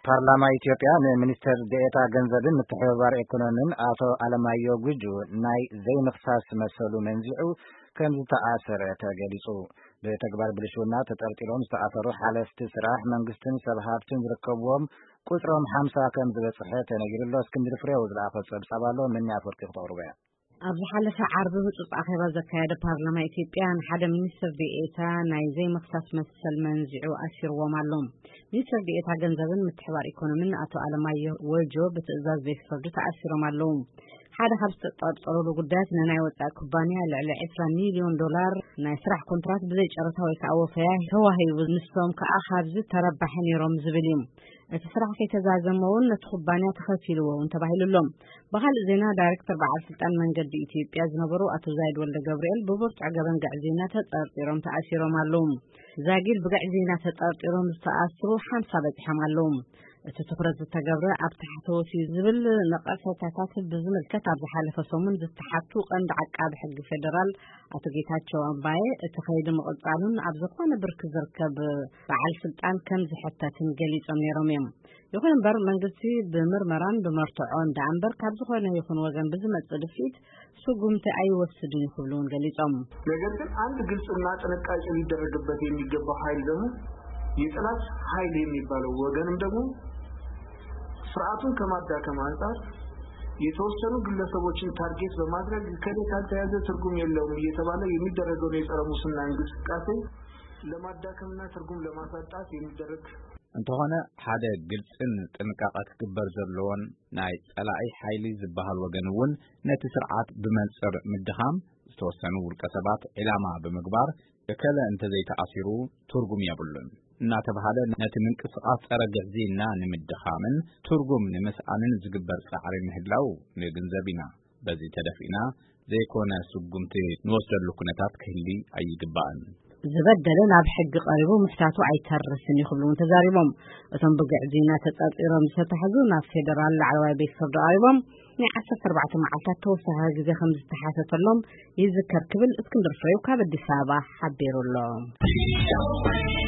ፓርላማ ኢትዮጵያ ንሚኒስትር ዴኤታ ገንዘብን ምትሕብባር ኢኮኖሚን ኣቶ ኣለማዮ ጉጁ ናይ ዘይምኽሳስ መሰሉ መንዚዑ ከም ዝተኣሰረ ተገሊጹ። ብተግባር ብልሽውና ተጠርጢሮም ዝተኣሰሩ ሓለፍቲ ስራሕ መንግስትን ሰብ ሃብትን ዝርከብዎም ቁጽሮም ሓምሳ ከም ዝበጽሐ ተነጊሩ ኣሎ። እስክንድር ፍሬው ዝለኣኾ ጸብጻብ ኣሎ፣ ምንያ ኣፈወርቂ ክተቕርቦ እያ። ኣብ ዝሓለፈ ዓርቢ ህጹጽ ኣኼባ ዘካየደ ፓርላማ ኢትዮጵያ ንሓደ ሚኒስትር ዴኤታ ናይ ዘይምኽሳስ መሰል መንዚዑ ኣሲርዎም ኣሎ። ሚኒስትር ዴኤታ ገንዘብን ምትሕባር ኢኮኖሚን ኣቶ ኣለማየሁ ወጆ ብትእዛዝ ቤት ፍርዲ ተኣሲሮም ኣለዉ። ሓደ ካብ ዝተጠርጠሩሉ ጉዳያት ንናይ ወጻኢ ኩባንያ ልዕሊ ዕስራ ሚልዮን ዶላር ናይ ስራሕ ኮንትራት ብዘይ ጨረታ ወይ ከዓ ወፈያ ተዋሂቡ፣ ንሶም ከዓ ካብዚ ተረባሒ ነይሮም ዝብል እዩ። እቲ ስራሕ ከይተዛዘመ እውን ነቲ ኩባንያ ተኸፊልዎ እውን ተባሂሉ ኣሎ። ብኻልእ ዜና፣ ዳይሬክተር በዓል ስልጣን መንገዲ ኢትዮጵያ ዝነበሩ ኣቶ ዛይድ ወልደ ገብርኤል ብብርቱዕ ገበን ግዕዝይና ተጠርጢሮም ተኣሲሮም ኣለዉ። ዛጊድ ብግዕዝይና ተጠርጢሮም ዝተኣስሩ ሓምሳ በጺሖም ኣለዉ። እቲ ትኹረት ዝተገብረ ኣብ ታሕተዎት እዩ ዝብል ነቐፈታታት ብዝምልከት ኣብ ዝሓለፈ ሰሙን ዝተሓቱ ቀንዲ ዓቃቢ ሕጊ ፌደራል ኣቶ ጌታቸው ኣምባየ፣ እቲ ከይዲ ምቕጻሉን ኣብ ዝኾነ ብርኪ ዝርከብ በዓል ስልጣን ከም ዝሕተትን ገሊጾም ነይሮም እዮም። ይኹን እምበር መንግስቲ ብምርመራን ብመርትዖን ደኣ እምበር ካብ ዝኾነ ይኹን ወገን ብዝመጽእ ድፍኢት ስጉምቲ ኣይወስድን እዩ ክብሉ እውን ገሊጾም። ነገር ግን አንድ ግልጽና ጥንቃቄ ሊደረግበት የሚገባው ኃይል ደግሞ የጠላት ኃይል የሚባለው ወገንም ደግሞ ስርዓቱን ከማዳከም አንጻር የተወሰኑ ግለሰቦችን ታርጌት በማድረግ ከሌ ካልተያዘ ትርጉም የለውም እየተባለ የሚደረገውን የጸረ ሙስና እንቅስቃሴ ለማዳከምና ትርጉም ለማሳጣት የሚደረግ እንተኾነ፣ ሓደ ግልጽን ጥንቃቐ ክግበር ዘለዎን ናይ ጸላኢ ሓይሊ ዝበሃል ወገን እውን ነቲ ስርዓት ብመንጽር ምድኻም፣ ዝተወሰኑ ውልቀ ሰባት ዒላማ ብምግባር እከለ እንተዘይተኣሲሩ ትርጉም የብሉን እናተባሃለ ነቲ ምንቅስቓስ ጸረ ግዕዝይና ንምድኻምን ትርጉም ንምስኣንን ዝግበር ጻዕሪ ምህላው ንግንዘብ ኢና። በዚ ተደፊእና ዘይኮነ ስጉምቲ ንወስደሉ ኩነታት ክህሊ ኣይግባእን። ዝበደለ ናብ ሕጊ ቀሪቡ ምሕታቱ ኣይተርስን እዩ ክብሉ እውን ተዛሪቦም። እቶም ብግዕዝይና ተጠርጢሮም ዝተታሕዙ ናብ ፌደራል ላዕለዋይ ቤት ፍርዲ ቀሪቦም ናይ ዓሰርተ ኣርባዕተ መዓልታት ተወሳኺ ግዜ ከም ዝተሓተተሎም ይዝከር ክብል እስክንድር ፍሬው ካብ ኣዲስ ኣበባ ሓቢሩ ኣሎ።